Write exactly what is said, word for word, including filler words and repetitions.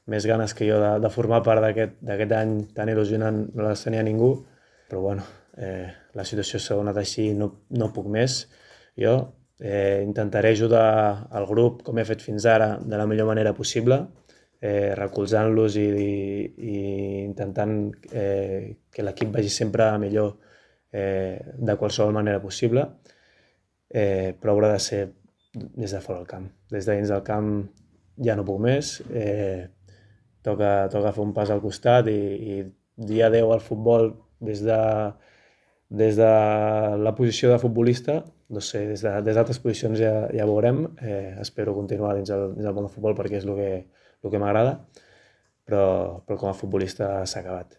més ganes que jo de, de formar part d'aquest any tan il·lusionant, no les tenia ningú, però bueno, eh, la situació s'ha donat així, no, no puc més. Jo eh, intentaré ajudar el grup, com he fet fins ara, de la millor manera possible, eh, recolzant-los i, i, i intentant eh, que l'equip vagi sempre millor eh, de qualsevol manera possible, eh, però haurà de ser des de fora del camp. Des de dins del camp ja no puc més, eh, toca, toca fer un pas al costat i, i dir adeu al futbol des de, des de la posició de futbolista, no sé, des d'altres posicions ja, ja veurem. Eh, espero continuar dins el, dins el món del futbol perquè és el que, el que m'agrada, però, però com a futbolista s'ha acabat.